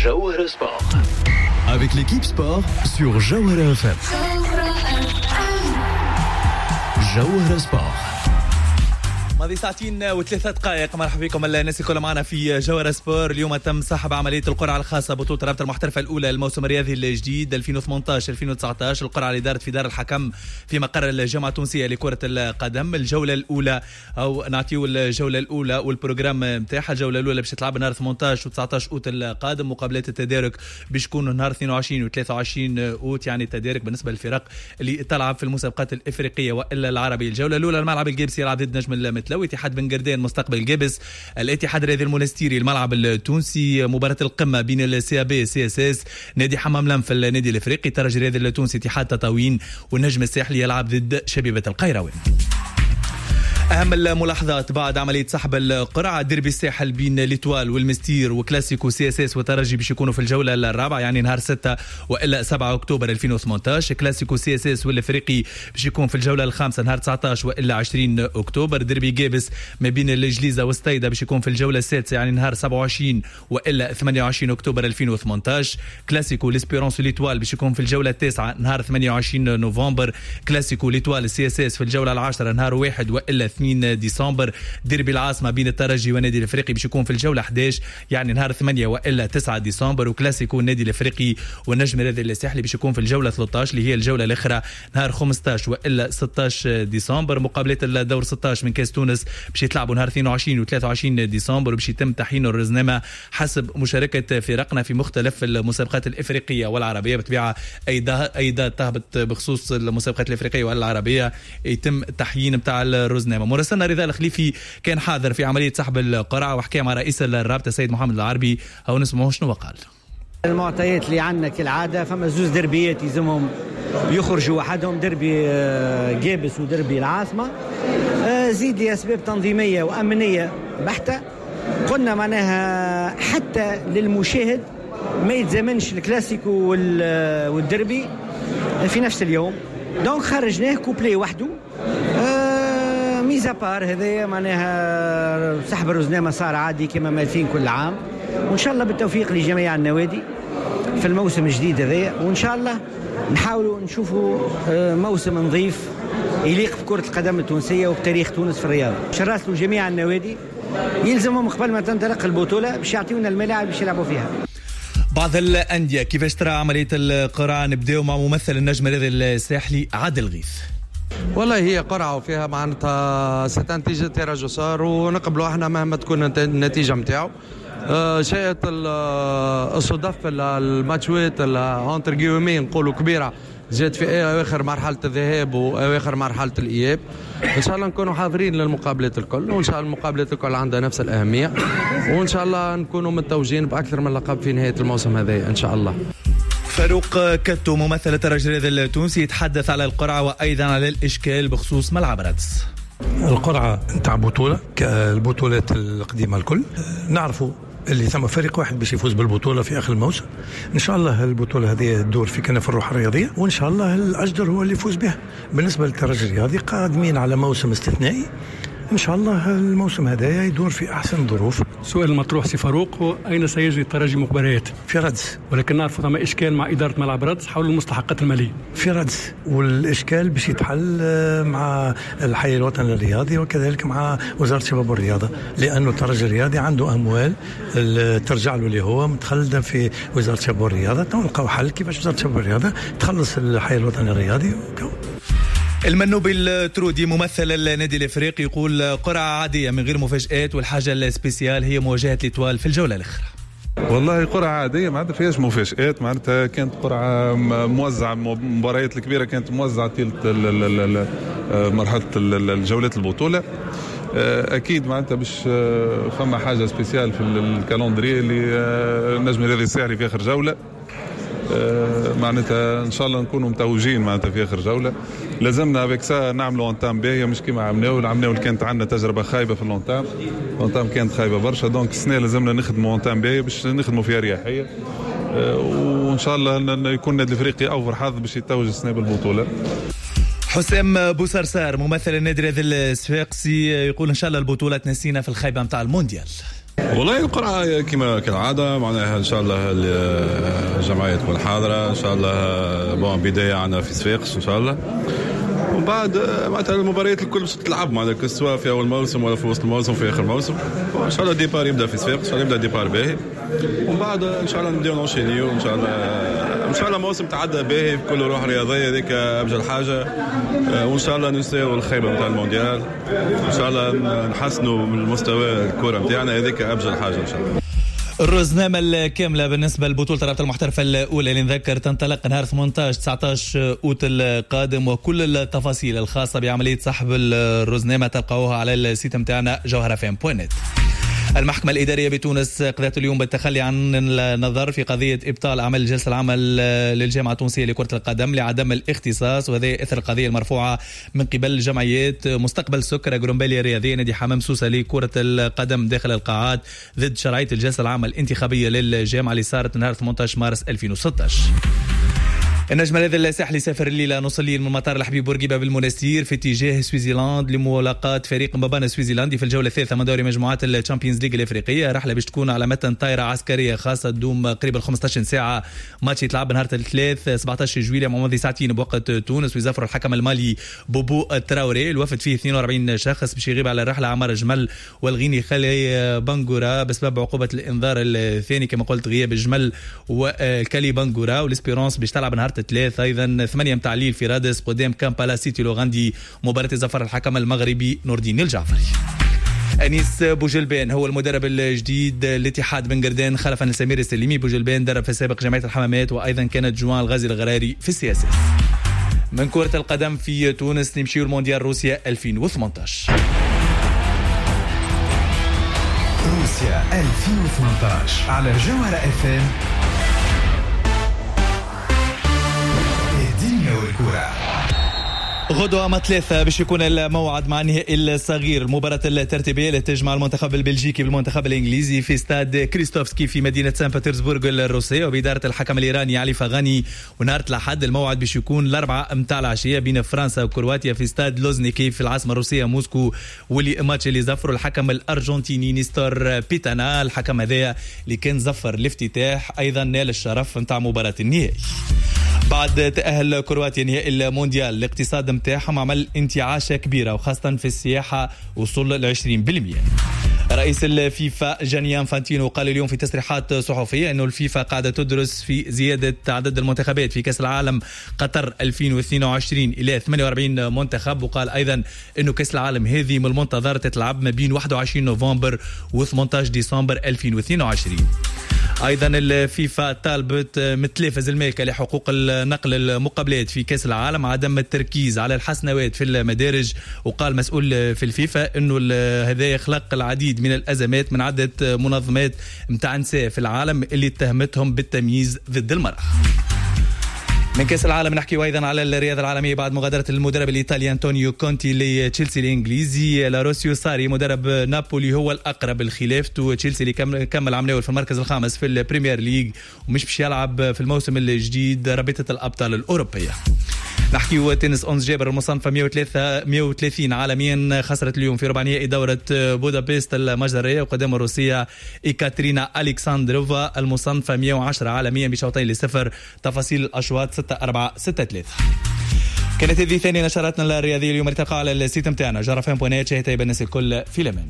جوهرة Sport avec l'équipe sport sur جوهرة FM. جوهرة Sport. ماضي ساعتين وثلاثة دقائق، مرحبا بكم الناس الكل معنا في جوهرة Sport. اليوم تم سحب عملية القرعة الخاصة بطولة رابطة المحترفة الأولى الموسم الرياضي الجديد 2018 2019. القرعة اللي دارت في دار الحكم في مقر الجامعة التونسية لكرة القدم. الجولة الأولى أو نعطيو الجولة الأولى وال programme نتاعها. الجولة الأولى باش تلعب نهار 18 و 19 أوت القادم. مقابلات التدارك باش تكون نهار 22 و 23 أوت، يعني التدارك بالنسبة للفرق اللي تلعب في المسابقات الإفريقية وإلا العربية. الجولة الأولى الملعب القابسي يلعب ضد نجم المتلوي، اتحاد بن قردان مستقبل قابس، الاتحاد الرياضي المونستيري الملعب التونسي. مباراة القمة بين ال CAB CSS، نادي حمام لنف النادي الافريقي، الترجي الرياضي التونسي اتحاد تطاوين، والنجم الساحلي يلعب ضد شبيبة القيروان. أهم الملاحظات بعد عملية سحب القرعة: ديربي الساحل بين l'Étoile والمستير وكلاسيكو CSS وترجي باش يكونوا في الجولة الرابعة، يعني نهار 6 وإلا 7 أكتوبر 2018. كلاسيكو CSS والإفريقي باش يكون في الجولة الخامسة نهار 19 وإلا 20 أكتوبر. ديربي قابس ما بين الجليزة والستيدة باش يكون في الجولة السادسة، يعني نهار 27 وإلا 28 أكتوبر 2018. كلاسيكو l'Espérance l'Étoile باش يكون في الجولة التاسعة نهار 28 نوفمبر. كلاسيكو l'Étoile CSS في الجولة العاشرة نهار 1 وإلا 2 ديسمبر. ديربي العاصمة بين الترجي والنادي الافريقي باش يكون في الجولة 11، يعني نهار 8 والا 9 ديسمبر. وكلاسيكو النادي الافريقي والنجم الرياضي الساحلي باش يكون في الجولة 13 اللي هي الجولة الاخرى نهار 15 والا 16 ديسمبر. مقابلات الدور 16 من كاس تونس باش يتلعبوا نهار 22 و 23 ديسمبر، وباش يتم تحيين الرزنامة حسب مشاركة فرقنا في مختلف المسابقات الافريقية والعربية. بالطبيعة اي date تهبط بخصوص المسابقات الافريقية والعربية يتم تحيين نتاع الرزنامة. مراسلنا رضا الخليفي كان حاضر في عملية سحب القرعة وحكى مع رئيس الرابطة السيد محمد العربي، أو نسمعه شنو قال. المعطيات اللي عندنا كالعادة فما زوز دربيات يلزمهم يخرجوا وحدهم، دربي قابس ودربي العاصمة. زيد لأسباب تنظيمية وأمنية بحتة قلنا معناها حتى للمشاهد ما يتزامنش الكلاسيكو والدربي في نفس اليوم، donc خرجناه couplé وحده. mis à part هذايا معناها سحب الرزنامة صار عادي كما مالفين كل عام، وإن شاء الله بالتوفيق لجميع النوادي في الموسم الجديد هذايا، وإن شاء الله نحاولوا نشوفوا موسم نظيف يليق بكرة القدم التونسية وبتاريخ تونس في الرياضة. باش نراسلوا جميع النوادي يلزمهم قبل ما تنطلق البطولة باش يعطيونا الملاعب باش يلعبوا فيها. بعض الأندية كيفاش ترى عملية القرعة؟ نبداو مع ممثل النجم الرياضي الساحلي عادل غيث. والله هي قرعة وفيها معناتها ستنتيجة tirage au sort، ونقبلوا احنا مهما تكون النتيجة متاعو. شاءت الصدف الماتشوات entre guillemets نقولوا كبيرة جات في اواخر مرحلة الذهاب واواخر مرحلة الإياب. ان شاء الله نكونوا حاضرين للمقابلات الكل، وان شاء الله المقابلات الكل عندها نفس الأهمية، وان شاء الله نكونوا متوجين بأكثر من لقب في نهاية الموسم هذا ان شاء الله. فاروق كتو ممثل الترجي الرياضي التونسي يتحدث على القرعة وأيضا على الإشكال بخصوص ملعب رادس. القرعة نتاع بطولة كالبطولات القديمة الكل، نعرفوا اللي ثم فريق واحد باش يفوز بالبطولة في آخر الموسم. إن شاء الله البطولة هذه تدور في كنف الروح الرياضية، وإن شاء الله الأجدر هو اللي يفوز بها. بالنسبة للترجي الرياضي قادمين على موسم استثنائي، إن شاء الله الموسم هذا يدور في أحسن ظروف. السؤال المطروح سي فاروق هو أين سيجري الترجي مباريات؟ في رادس، ولكن نعرف ثم إشكال مع إدارة ملعب رادس حول المستحقات المالية في رادس، والإشكال باش يتحل مع الحي الوطني الرياضي وكذلك مع وزارة الشباب والرياضة، لأنه الترجي الرياضي عنده أموال ترجع له اللي هو متخلدة في وزارة الشباب والرياضة. نلقاو حل كيفاش وزارة الشباب والرياضة تخلص الحي الوطني الرياضي. المنوبي الترودي ممثل النادي الافريقي يقول قرعة عادية من غير مفاجآت، والحاجة ال spéciale هي مواجهة l'Étoile في الجولة الأخرى. والله قرعة عادية معناتها فيهاش مفاجآت، معناتها كانت قرعة موزعة، المباريات الكبيرة كانت موزعة طيلة مرحلة الجولات البطولة. أكيد معناتها باش فما حاجة spéciale في ال calendrier اللي النجم الرياضي الساحلي في آخر جولة، معناتها ان شاء الله نكونوا متوجين معناتها في اخر جولة. لازمنا avec ça نعملوا entame باهيه، مش كيما عملناو كانت عندنا تجربه خايبة في l'entame، l'entame كانت خايبة برشا، donc السنة لازمنا نخدموا entame باهيه باش نخدموا فيها اريحية، وان شاء الله يكون النادي الافريقي اوفر حظ باش يتوج السنة بالبطولة. حسام بوسرسار ممثل النادي الرياضي الصفاقسي يقول ان شاء الله البطولة تنسينا في الخيبه نتاع المونديال. والله القرعة كما كالعادة معناها ان شاء الله الجمعية تكون حاضره ان شاء الله. bon بداية عندنا في صفاقس ان شاء الله، ومن بعد معناتها المباريات الكل باش تلعب معناتها سواء في اول موسم ولا في وسط الموسم في اخر الموسم. ان شاء الله départ يبدا في صفاقس، ان شاء الله يبدا départ باهي، ومن بعد ان شاء الله نبداو نونشينيو ان شاء الله. ان شاء الله موسم تعدى باهي بكل روح رياضية، هذيك ابجل حاجة، وان شاء الله ننساو الخيبه نتاع المونديال، ان شاء الله نحسنوا من مستوى الكره نتاعنا، هذيك ابجل حاجة ان شاء الله. الرزنامة الكاملة بالنسبة لبطولة الرابطة المحترفة الأولى اللي نذكر تنطلق نهار 18-19 أوت القادم، وكل التفاصيل الخاصة بعملية سحب الرزنامة تلقاوها على ال site متاعنا جوهرة.net. المحكمة الإدارية بتونس قضت اليوم بالتخلي عن النظر في قضية إبطال أعمال الجلسة العامة للجامعة التونسية لكرة القدم لعدم الاختصاص، وهذا إثر القضية المرفوعة من قبل جمعيات مستقبل سكر جرومباليا الرياضية نادي حمام سوسة لكرة القدم داخل القاعات ضد شرعية الجلسة العامة الانتخابية للجامعة اللي صارت نهار 18 مارس 2016. النجم هذا الساحلي سافر الليلة نص الليل من مطار الحبيب بورقيبة بالمنستير في اتجاه سوازيلاند لملاقاة فريق مبانا السوازيلاندي في الجولة الثالثة من دوري مجموعات ال Champions League الافريقية. رحله باش تكون على متن طائره عسكرية خاصة تدوم قريب 15 ساعة. ماتش يتلعب نهار الثلاث 17 جويلية مع ماضي ساعتين بوقت تونس، ويزفر الحكم المالي بوبو تراوري. الوفد فيه 42 شخص باش يغيب على الرحلة عمار جمل والغيني خالي بانغورا بسبب عقوبه الانذار الثاني كما قلت غياب الجمل والكالي بانغورا. وال Espérance باش تلعب نهار الثلاث ايضا 8 متاع الليل في رادس قدام كامبالا سيتي لوغاندي، مباراة زفر الحكم المغربي نور الدين الجعفري. أنيس بوجلبان هو المدرب الجديد لاتحاد بن قردان خلفا لسمير السليمي. بوجلبان درب في السابق جمعية الحمامات، وايضا كانت جوان الغازي الغراري في ال CSS. من كرة القدم في تونس نمشيو المونديال روسيا 2018. روسيا 2018 على جوهرة FM. غدوة ما 3 باش يكون الموعد مع النهائي الصغير، المباراة الترتيبية اللي تجمع المنتخب البلجيكي بالمنتخب الإنجليزي في استاد كريستوفسكي في مدينة سان بطرسبورغ الروسية، وبإدارة الحكم الإيراني علي فغاني. ونهار الأحد الموعد باش يكون 4 متاع العشية بين فرنسا وكرواتيا في استاد لوزنيكي في العاصمة الروسية موسكو، واللي ماتش اللي زفروا الحكم الأرجنتيني نيستور بيتانا. الحكم هذا اللي كان زفر الافتتاح أيضا نال الشرف متاع مباراة النهائي. بعد تأهل كرواتيا نهائي المونديال الاقتصاد متاعهم عمل انتعاشة كبيرة، وخاصة في السياحة وصل ل 20%. رئيس الفيفا جاني انفانتينو قال اليوم في تصريحات صحفية أنه الفيفا قاعدة تدرس في زيادة عدد المنتخبات في كأس العالم قطر 2022 إلى 48 منتخب، وقال أيضا أنه كأس العالم هذه من المنتظر تتلعب ما بين 21 نوفمبر و 18 ديسمبر 2022. ايضا الفيفا طالبت متلافز المالكة لحقوق النقل المقابلات في كاس العالم عدم التركيز على الحسنوات في المدارج، وقال مسؤول في الفيفا انه هذا يخلق العديد من الازمات من عده منظمات متاع نساء في العالم اللي اتهمتهم بالتمييز ضد المراة. من كأس العالم نحكي أيضا على الرياضة العالمية بعد مغادرة المدرب الإيطالي أنطونيو كونتي لتشيلسي الإنجليزي. لاروسيو ساري مدرب نابولي هو الأقرب لخلافته. تشيلسي اللي كمل عملاول في المركز الخامس في ال Premier League ومش باش يلعب في الموسم الجديد رابطة الأبطال الأوروبية. نحكي تنس. أونس جابر المصنفة 130 عالميا خسرت اليوم في ربع نهائي دورة بودابست المجرية وقدام الروسية إيكاترينا ألكساندروفا المصنفة 110 عالميا بشوطين لصفر. تفاصيل الأشواط 6-4 6-3. كانت هذه ثاني نشراتنا الرياضية اليوم. التقى على ال site متاعنا جرفان بونات. شهيتها الناس الكل في لمن.